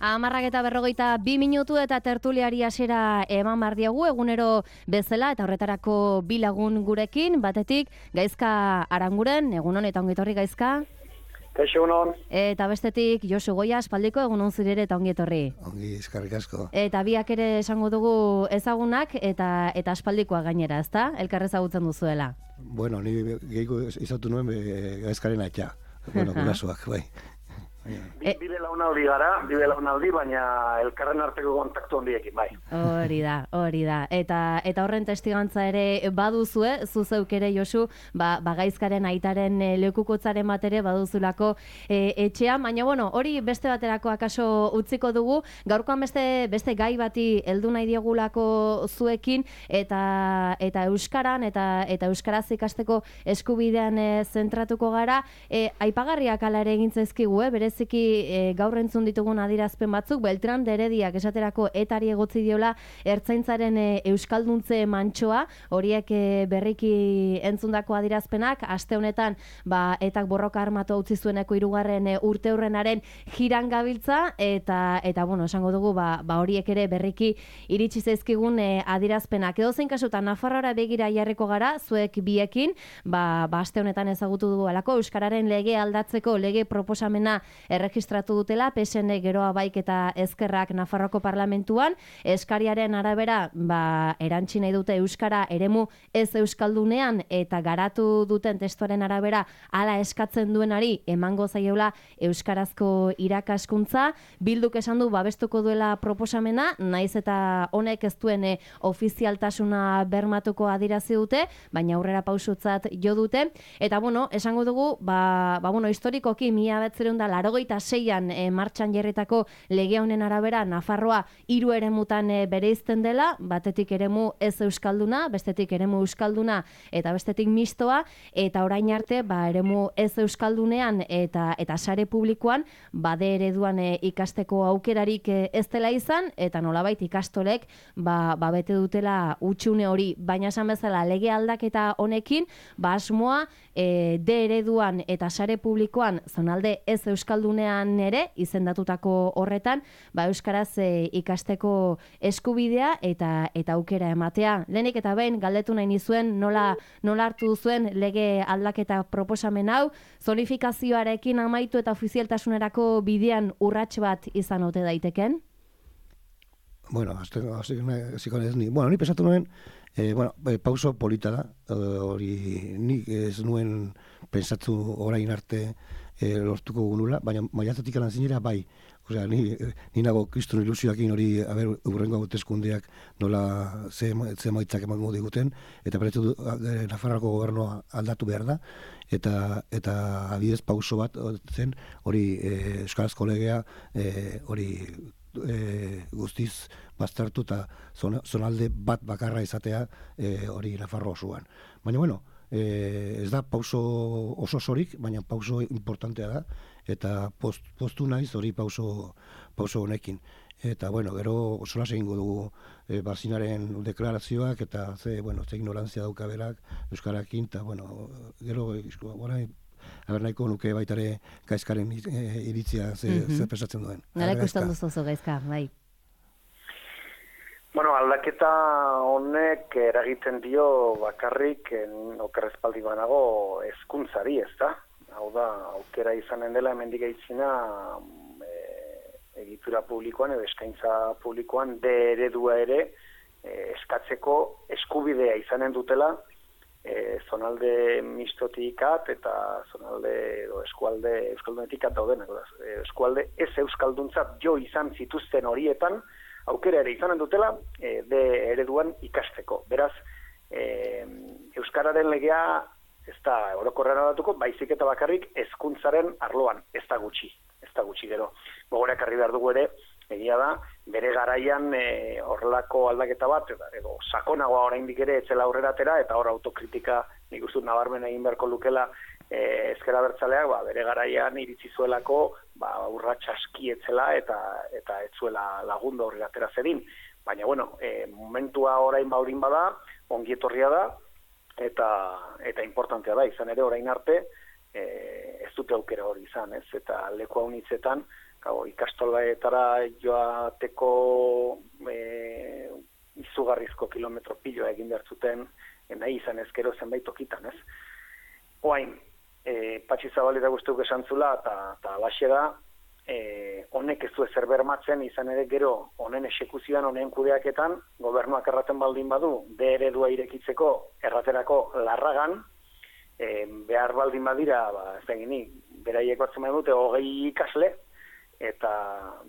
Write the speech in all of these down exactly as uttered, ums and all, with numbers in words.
Amarrak eta berrogeita bi minutu eta tertuliari hasiera eman behar diegu egunero bezala eta horretarako bi lagun gurekin, batetik Gaizka Aranguren, egunon eta ongitorri Gaizka. Kaixo egunon. Eta bestetik Josu Goia, aspaldiko egunon zirere eta ongitorri. Ongi, eskerrik asko. Eta biak ere esango dugu ezagunak eta eta aspaldikoa gainera, ezta? Elkar ezagutzen duzuela. Bueno, ni gehiago izautu nuen Gaizkaren atxa. Bueno, gurasoak, bai. E, Bide launaldi gara, bide launaldi, baina elkarren arteko kontaktu handiekin, bai. Hori da, hori da. Eta eta horren testigantza ere baduzue, zu zeuk ere Josu, ba, ba Gaizkaren aitaren e, lekukotzaren bat ere baduzulako e, etxean, baina bueno, hori beste baterako akaso utziko dugu. Gaurkoan beste beste gai bati heldu nahi diegulako zuekin eta eta euskaran eta eta euskaraz ikasteko eskubidean e, zentratuko gara. E, aipagarriak hala ere egin zaizkigu, eh, bere Ziki e, gaur entzun ditugun adirazpen batzuk, Beltran de Herediak esaterako etari egotzi diola ertzaintzaren e, euskalduntze mantsoa, horiek e, berriki entzundako adirazpenak, aste honetan ba, etak borroka armatu utzi zueneko hirugarren e, urte hurrenaren jiran gabiltza, eta eta bueno, esango dugu ba, ba horiek ere berriki iritsi zaizkigun e, adirazpenak. Edozein kasutan Nafarroara begira jarriko gara, zuek biekin, ba, ba aste honetan ezagutu dugu alako euskararen lege aldatzeko lege proposamena erregistratu dutela, P S N geroa baik eta ezkerrak Nafarroko parlamentuan, eskariaren arabera, ba, erantsi nahi dute euskara eremu ez euskaldunean eta garatu duten testuaren arabera hala eskatzen duenari emango zaiola euskarazko irakaskuntza. Bilduk esan du babestuko duela proposamena, naiz eta honek ez duen e, ofizialtasuna bermatuko adirazi dute, baina aurrera pausutzat jo dute. Eta bueno, esango dugu, ba, ba bueno, historikoki mila bederatziehun eta laurogeita seian e, martxan jarritako lege honen arabera Nafarroa hiru eremutan e, bereizten dela, batetik eremu ez euskalduna, bestetik eremu euskalduna eta bestetik mistoa, eta orain arte ba eremu ez euskaldunean eta eta sare publikoan bade ereduan e, ikasteko aukerarik e, ez dela izan, eta nolabait ikastolek ba, ba bete dutela utxune hori, baina esan bezala lege aldaketa honekin ba asmoa e, de ereduan eta sare publikoan zonalde ez euskaldunean ere izendatutako horretan ba euskaraz e, ikasteko eskubidea eta eta aukera ematea. Lehenik eta behin galdetu nahi nizuen nola nola hartu duzuen lege aldaketa proposamen hau, zonifikazioarekin amaitu eta ofizialtasunerako bidean urrats bat izan ote daiteken? Bueno, hasiko naiz ni. Bueno, ni pensatu nuen, eh, bueno, pauso polita da, hori nik ez nuen pentsatu orain arte e, lortuko gunula, baina maiatzatik alan zinera bai. Osea, ni, ni nago kriston ilusioakin hori, haber, urrengo hauteskundeak nola ze, ze maitzak emango diguten, eta beretu du, e, Nafarroako gobernua aldatu behar da, eta eta adidez pauso bat zen hori e, euskarazko legea e, hori e, guztiz baztertu eta zonalde bat bakarra izatea e, hori Nafarro osoan. Baina, bueno, E, ez da pauso oso sorik, baina pauso importantea da, eta post, postu naiz hori pauso, pauso honekin. Eta, bueno, gero sola egingo dugu e, Barzinaren deklarazioak, eta ze, bueno, ze ignorantzia dauka berak euskarakin, eta, bueno, gero, orain, haber nahiko nuke baitare Gaizkaren e, iritzia ze, mm-hmm. ze pesatzen duen. Gara ikusten duzu Gaizka, bai. Bueno, aldaketa honek eragiten dio bakarrik okerrezpaldi banago hezkuntzari, ez da? Hau da, aukera izanen dela hemendik aitzina e, egitura publikoan edo eskaintza publikoan de eredua ere e, eskatzeko eskubidea izanen dutela e, zonalde mistotik at eta zonalde edo eskualde euskaldunetik at daudenak. Eskualde ez euskalduntzat jo izan zituzten horietan aukera ere izanen dutela e, de ereduan ikasteko. Beraz, e, euskararen legea ez da orokorrean aldatuko, baizik eta bakarrik hezkuntzaren arloan, ez da gutxi, ez da gutxi gero. Gogorak argi behar dugu ere, egia da, bere garaian e, horrelako aldaketa bat, edo sakonagoa oraindik ere etzela aurrera atera, eta hor autokritika nik uste nabarmen egin beharko lukela e, ezker abertzaleak, ba, bere garaian iritsi zuelako, ba, urrats aski etzela eta eta etzuela lagundu aurrera atera zedin. Baina, bueno, e, momentua orain baurin bada, ongi etorria da, eta eta importantea da, izan ere orain arte, e, ez dute aukera hori izan, ez? Eta leku haunitzetan, Gau, ikastoletara joateko e, izugarrizko kilometro piloa egin behar zuten, e, nahi izan ezkero zenbait tokitan, ez? Oain, e, Patxi Zabaleta guztuk esan zula, eta alaxe da, e, honek ez du ezer bermatzen, izan ere gero, honen esekuzioan, honen kudeaketan, gobernuak erraten baldin badu, de eredua irekitzeko, erraterako larragan, e, behar baldin badira, ba, ez da gini, beraiek batzen dute, hogei ikasle, eta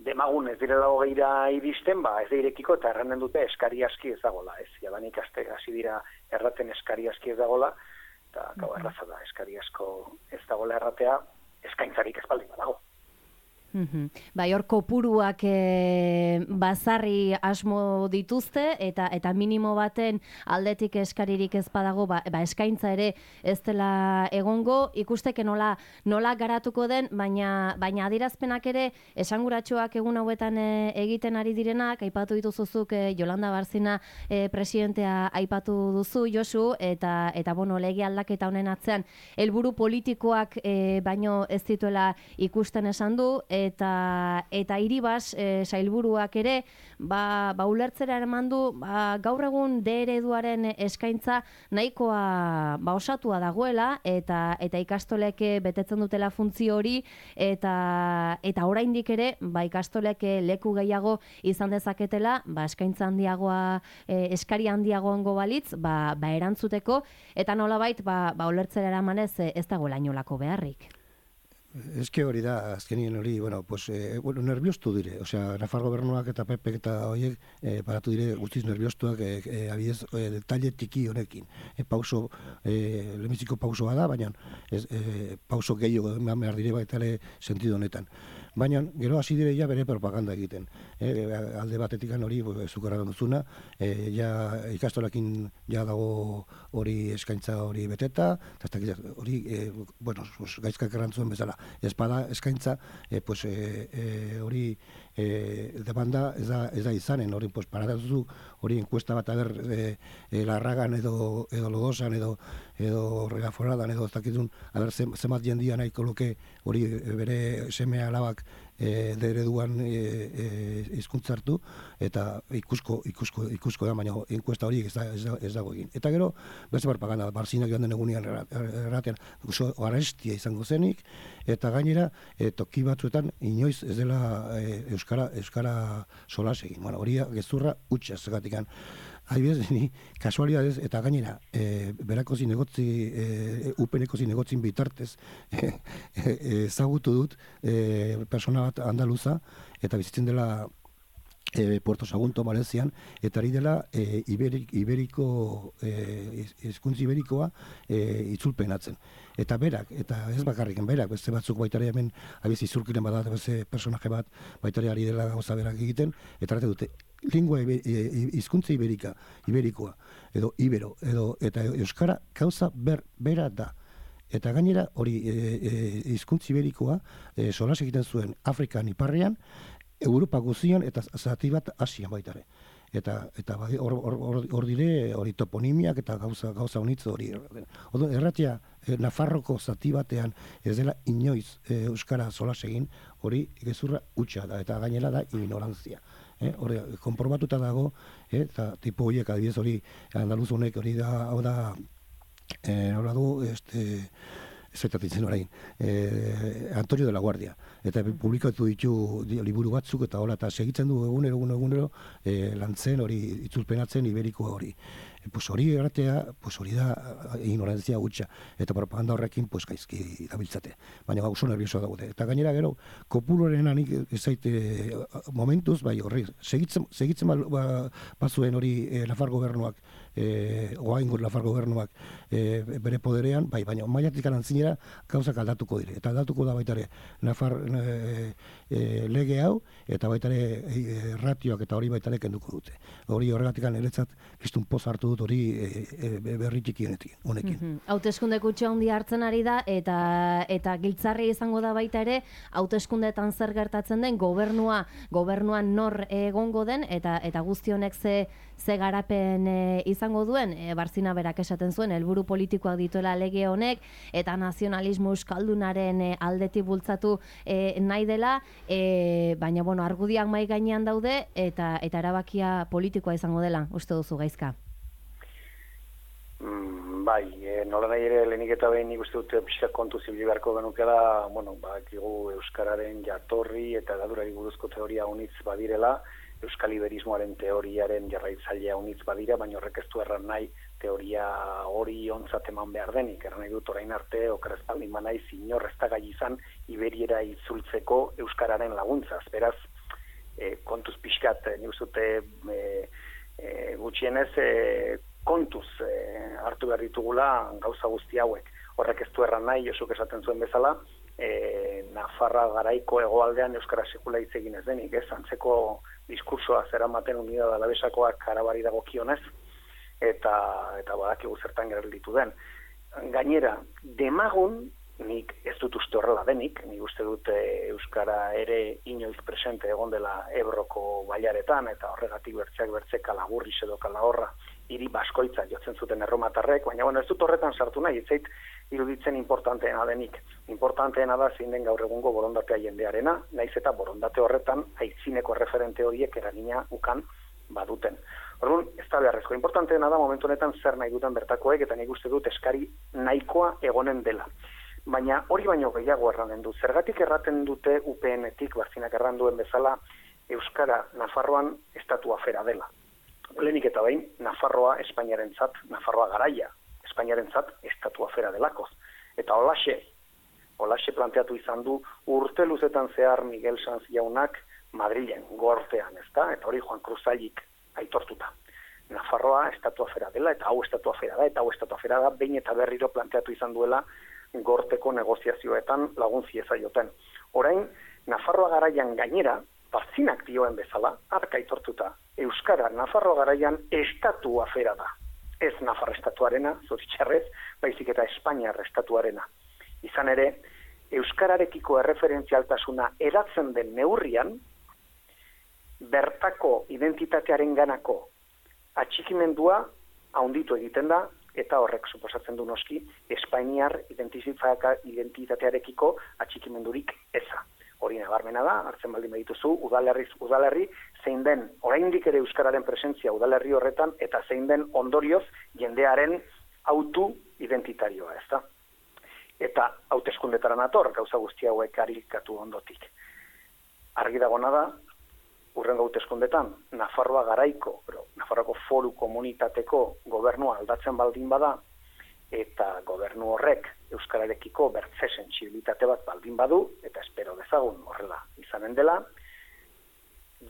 demagun ez direla hogeira iristen, ba, ez da irekiko, eta errenden dute eskari aski ez dagola, ez, jadan ikaste hasi dira erraten eskari aski ez dagola, eta gau erraza da, eskari asko ez dagoela erratea, eskaintzarik ez baldin badago. Mm-hmm. Bai, hor kopuruak e, bazarri asmo dituzte eta eta minimo baten aldetik eskaririk ez badago, ba, ba eskaintza ere ez dela egongo, ikusteke nola nola garatuko den, baina baina adierazpenak ere esanguratsuak egun hauetan e, egiten ari direnak, aipatu dituzuzuk e, Yolanda Barzina e, presidentea aipatu duzu, Josu, eta eta bueno, lege aldaketa honen atzean helburu politikoak e, baino ez dituela ikusten esan du, eta eta Iribas e, sailburuak ere ba, ba ulertzera emandu ba, gaur egun de ereduaren eskaintza nahikoa ba osatua dagoela eta eta ikastolek betetzen dutela funtzio hori eta eta oraindik ere ba ikastolek leku gehiago izan dezaketela ba eskaintza handiagoa e, eskari handiagoango balitz ba, ba erantzuteko eta nolabait ba, ba ulertzera eramanez ez dagoela inolako beharrik. Ez que hori da, azkenien hori, bueno, pues, eh, bueno, nerviostu dire, osea, Nafar gobernuak eta P P eta horiek eh, paratu dire guztiz nerviostuak eh, eh, abidez, eh, detalle tiki honekin. Eh, pauso, eh, lehenbiziko pausoa da, baina ez, eh, pauso gehiago eman behar dire baita ere sentido honetan. Baina, gero hasi dire ja bere propaganda egiten. Eh, alde batetikan hori, zukarra duzuna, eh, ja ikastolakin ja dago hori eskaintza hori beteta, eta hori, eh, bueno, gaizkak errantzuen bezala. Espada eskaintza, eh, pues, eh, eh, hori eh, demanda ez da, ez da izanen, hori pues, paratatu hori enkuesta bat aber eh, eh, larragan edo, edo lodosan edo edo regaforadan edo ez dakitun aber zemat jendia nahiko luke hori bere seme alabak e, de ereduan hizkuntza e, e, hartu eta ikusko ikusko ikusko da baina enkuesta hori ez, da, ez, da, ez dago egin. Eta gero beste propaganda Barzinak joan den egunean erratean oso arestia izango zenik eta gainera e, toki batzuetan inoiz ez dela e, euskara euskara solas egin. Bueno, hori gezurra hutsa zegatikan. Adibidez, ni kasualidadez eta gainera e, berako zinegotzi e, upeneko zinegotzin bitartez ezagutu e, dut e, persona bat andaluza eta bizitzen dela e, Puerto Sagunto, Malezian, eta ari dela e, iberik, iberiko hizkuntza e, iberikoa e, itzulpenatzen. Eta berak, eta ez bakarriken berak, beste batzuk baitare hemen abiz izurkiren badat, beste personaje bat baitare ari dela gauza berak egiten, eta arate dute, lingua hizkuntza iberika, iberikoa, edo ibero, edo eta euskara gauza ber, bera da. Eta gainera hori hizkuntza e, e, iberikoa e, solas egiten zuen Afrikan iparrean, Europa guztian eta zati bat Asian baitare. Eta eta hor hor hor dire hori toponimiak eta gauza gauza honitz hori. Odo erratia e, Nafarroko zati batean ez dela inoiz e, euskara solas egin, hori gezurra hutsa da eta gainera da ignorantzia. Eh, hori konprobatuta dago, eh, eta tipo horiek adibidez hori andaluz honek hori da, hau da, eh, nola du, este, zetatzen orain, eh, Antonio de la Guardia, eta publikatu ditu liburu batzuk eta hola, eta segitzen du egunero, egunero, egunero, eh, lantzen hori, itzulpenatzen iberikoa hori. E, pues hori erratea, pues hori da ignorantzia gutxa, eta propaganda horrekin pues gaizki dabiltzate, baina oso nervioso daude. Eta gainera gero, kopuloren anik ezaite momentuz, bai horri, segitzen, segitzen ba, bazuen hori e, Nafar gobernuak, e, oaingur Nafar gobernuak e, bere poderean, bai, baina mailatik anantzinera gauzak aldatuko dire. Eta aldatuko da baitare Nafar e, e, lege hau, eta baitare e, ratioak eta hori baitare kenduko dute. Hori horregatik aneretzat, biztun poz hartu dut hori e, e, berri txiki honekin. Mm-hmm. Hauteskunde kutxa handi hartzen ari da eta eta giltzarri izango da baita ere hauteskundeetan zer gertatzen den gobernua gobernuan nor egongo den eta eta guzti honek ze ze garapen e, izango duen e, Barzina berak esaten zuen helburu politikoak dituela lege honek eta nazionalismo euskaldunaren e, aldetik bultzatu e, nahi dela e, baina bueno, argudiak mai gainean daude eta eta erabakia politikoa izango dela, uste duzu Gaizka? Mm, bai, e, nola nahi ere lehenik eta behin nik uste dute pixka kontu zibili beharko genukela, bueno, bakigu euskararen jatorri eta gadurari buruzko teoria unitz badirela, euskal iberismoaren teoriaren jarraitzailea unitz badira, baina horrek ez du erran nahi teoria hori ontzat eman behar denik. Erran nahi dut orain arte, oker ez baldin banaiz, inor ez da gai izan iberiera itzultzeko euskararen laguntzaz. Beraz, e, kontuz pixkat, nik uste dute e, e, gutxienez, e, kontuz e, hartu behar ditugula gauza guzti hauek. Horrek ez du erran nahi, Josuk esaten zuen bezala, e, Nafarra garaiko hegoaldean euskara sekula hitz egin ez denik, ez? Antzeko diskursoa zeramaten Unidad Alabesakoak Arabari dagokionez, eta eta badakigu zertan gelditu den. Gainera, demagun, nik ez dut uste horrela denik, nik uste dut e, euskara ere inoiz presente egon dela Ebroko bailaretan, eta horregatik bertzeak bertze Kalagurris edo Kalahorra hiri baskoitza jotzen zuten erromatarrek, baina bueno, ez dut horretan sartu nahi, ez zait iruditzen importanteena denik. Importanteena da zein den gaur egungo borondatea jendearena, naiz eta borondate horretan aitzineko referente horiek eragina ukan baduten. Orduan, ez da beharrezko. Importanteena da momentu honetan zer nahi duten bertakoek, eta nik uste dut eskari nahikoa egonen dela. Baina hori baino gehiago erranen du. Zergatik erraten dute U P N-etik, Bartzinak erran duen bezala, Euskara Nafarroan estatu afera dela. Lehenik eta behin, Nafarroa Espainiarentzat, Nafarroa garaia, Espainiarentzat estatu afera delakoz. Eta holaxe, holaxe planteatu izan du urte luzetan zehar Miguel Sanz jaunak Madrilen, gortean, ezta? Eta hori Juan Cruzailik aitortuta. Nafarroa estatu afera dela, eta hau estatu afera da, eta hau estatu afera da, behin eta berriro planteatu izan duela gorteko negoziazioetan lagun ziezaioten. Orain, Nafarroa garaian gainera, Bartzinak dioen bezala, arka aitortuta, Euskara Nafarroa garaian estatu afera da. Ez Nafar estatuarena, zoritxarrez, baizik eta Espainiar estatuarena. Izan ere, euskararekiko erreferentzialtasuna eratzen den neurrian, bertako identitatearen ganako atxikimendua haunditu egiten da, eta horrek suposatzen du noski, Espainiar identitatearekiko atxikimendurik eza. Hori nabarmena da, hartzen baldin badituzu, udalerriz udalerri, zein den, oraindik ere euskararen presentzia udalerri horretan, eta zein den ondorioz jendearen autu identitarioa, ez da? Eta hauteskundetara nator, gauza guzti hauek arikatu ondotik. Argi dagona da, urrengo hauteskundetan, Nafarroa garaiko, pero Nafarroako foru komunitateko gobernua aldatzen baldin bada, eta gobernu horrek euskararekiko bertze sentsibilitate bat baldin badu, eta espero dezagun horrela izanen dela,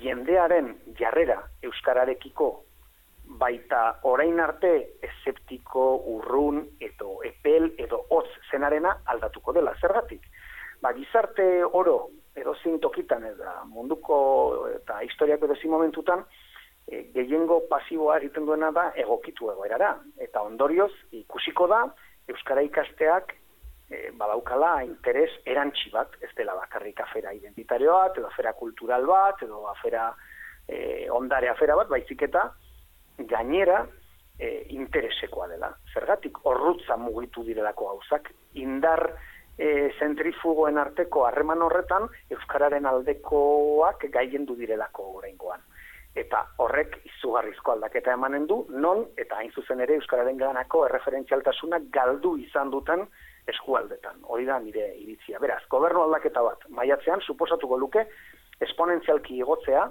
jendearen jarrera euskararekiko baita orain arte eszeptiko, urrun, edo epel, edo hotz zenarena aldatuko dela. Zergatik? Ba, gizarte oro, edo tokitan, eta munduko eta historiako edo momentutan, e, gehiengo pasiboa egiten duena da egokitu egoerara. Eta ondorioz, ikusiko da, euskara ikasteak e, badaukala interes erantsi bat, ez dela bakarrik afera identitario bat, edo afera kultural bat, edo afera e, ondare afera bat, baizik eta gainera e, interesekoa dela. Zergatik horrutza mugitu direlako gauzak, indar e, zentrifugoen arteko harreman horretan euskararen aldekoak gaiendu direlako oraingoan. Eta horrek izugarrizko aldaketa emanen du, non eta hain zuzen ere euskararen ganako erreferentzialtasuna galdu izan duten eskualdetan. Hori da nire iritzia. Beraz, gobernu aldaketa bat maiatzean suposatuko luke esponentzialki igotzea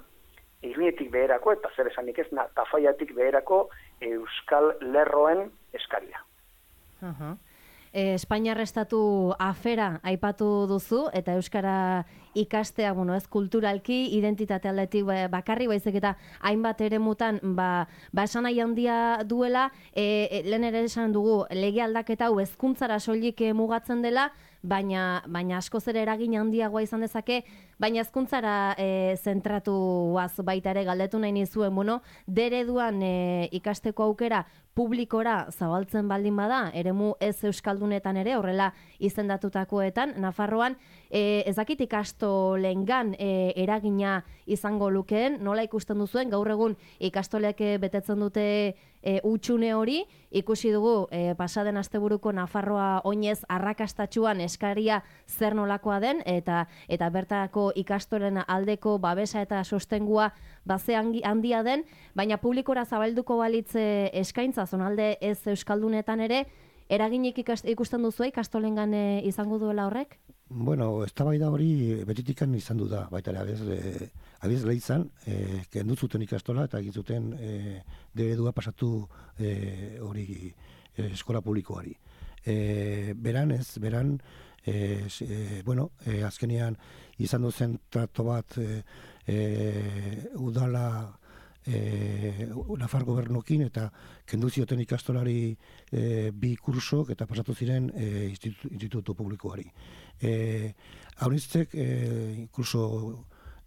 irnietik beherako eta zer esanik ez tafaiatik beherako euskal lerroen eskaria. Uh-huh. E, Espainiar estatu afera aipatu duzu eta euskara ikastea, bueno, ez kulturalki, identitate aldetik bakarri, baizik eta hainbat eremutan, ba, ba esan nahi handia duela, e, e, lehen ere esan dugu, lege aldaketa hau hezkuntzara soilik mugatzen dela, baina, baina askoz ere eragin handiagoa izan dezake, baina hezkuntzara e, zentratuaz baita ere galdetu nahi nizuen, bueno, dereduan e, ikasteko aukera publikora zabaltzen baldin bada, eremu ez euskaldunetan ere, horrela izendatutakoetan, Nafarroan, e, ezakit ikastolengan e, eragina izango lukeen, nola ikusten duzuen, gaur egun ikastolek betetzen dute e, utxune hori, ikusi dugu e, pasaden asteburuko Nafarroa oinez arrakastatxuan eskaria zer nolakoa den, eta eta bertako ikastolen aldeko babesa eta sostengua baze handia den, baina publikora zabalduko balitze eskaintza zonalde ez euskaldunetan ere, eraginik ikusten duzu ikastolengan izango duela horrek? Bueno, eztabaida hori betitikan izan du da, baita ere, abiz, e, abiz lehitzan, e, kendu zuten ikastola eta egin zuten e, deredua pasatu e, hori e, eskola publikoari. E, beran ez, beran, e, e, bueno, e, azkenean izan duzen trato bat e, e, udala E, Nafar gobernokin eta kendu zioten ikastolari e, bi kursok eta pasatu ziren e, institutu, institutu publikoari. E, Haunitzek e, kurso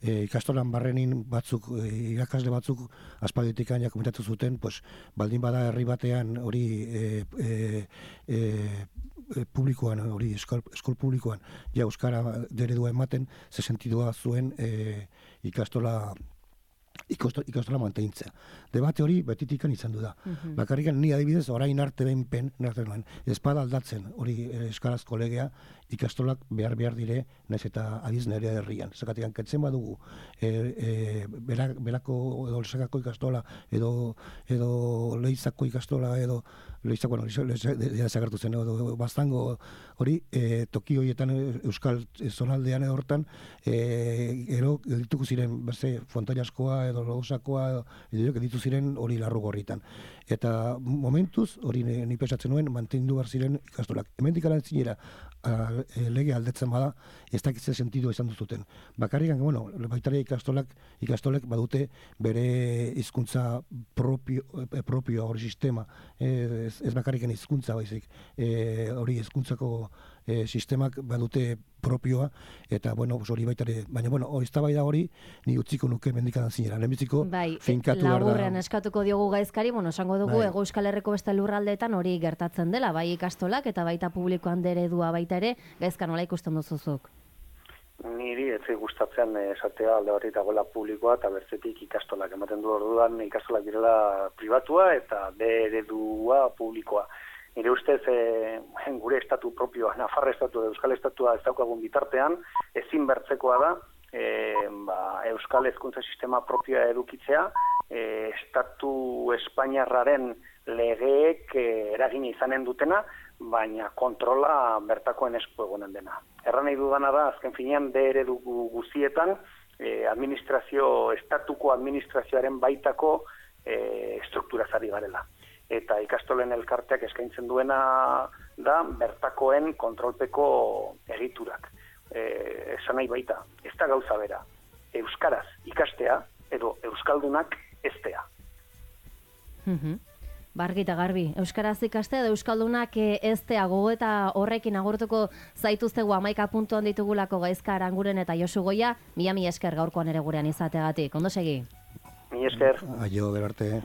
e, ikastolan barrenin batzuk, e, irakasle batzuk aspalditik aina komentatu zuten, pues, baldin bada herri batean hori e, e, e, publikoan, hori eskol, eskol publikoan, ja euskara deredua ematen, ze sentidua zuen e, ikastola ikastola mantentzea. Debate hori betitikan izan du da. Uh-huh. Bakarrikan ni adibidez orain arte behinpen, espada aldatzen hori eskarazko legea, ikastolak behar behar dire, naiz eta adiz nire herrian. Zakatik kentzen badugu, e, e, berak, berako edo lezakako ikastola, edo, edo lehizako ikastola, edo lehizako, bueno, lehizakartu zen, edo baztango hori, e, toki horietan euskal zonaldean edo hortan, e, ero dituko ziren, beste, Fontaiaskoa, edo Lodosakoa, edo, edo ditu ziren hori larru gorritan. Eta momentuz, hori ni pesatzen nuen, mantendu behar ziren ikastolak. Hemendik ala zinera, lege aldetzen bada, ez dakitze sentidu izan duzuten. Bakarrikan, bueno, baitare ikastolak, ikastolek badute bere hizkuntza propio, propio hori sistema, ez, ez bakarrikan hizkuntza baizik, e, hori hizkuntzako e, sistemak badute propioa, eta, bueno, hori baitare, baina, bueno, hori eztabaida hori, ni utziko nuke mendikadan zinera, lehenbiziko bai, finkatu behar da. Laburrean eskatuko diogu gaizkari, bueno, esango dugu, bai. Hego Euskal Herriko beste lurraldeetan hori gertatzen dela, bai ikastolak eta baita publikoan deredua baita ere, gaizka nola ikusten duzuzuk? Niri ez gustatzen esatea alde batetik dagoela publikoa eta bertzetik ikastolak ematen du orduan ikastolak direla pribatua eta deredua publikoa. Nire ustez, e, gure estatu propioa, Nafarra estatu, Euskal estatua ez daukagun bitartean, ezin bertzekoa da, e, ba, Euskal hezkuntza sistema propioa edukitzea, e, estatu Espainiarraren legeek e, eragin izanen dutena, baina kontrola bertakoen esku egonen dena. Erran nahi dudana da, azken finean, de eredu guzietan, e, administrazio, estatuko administrazioaren baitako e, strukturazari garela. Eta ikastolen elkarteak eskaintzen duena da bertakoen kontrolpeko egiturak. E, esan nahi baita, ez da gauza bera, euskaraz ikastea edo euskaldunak eztea. Mhm. Bargi eta garbi, euskaraz ikastea edo euskaldunak eztea gogo eta horrekin agurtuko zaituztegu hamaika puntuan ditugulako Gaizka Aranguren eta Josu Goia, mila mila esker gaurkoan ere gurean izateagatik. Ondo segi? Mila esker. Aio, berarte.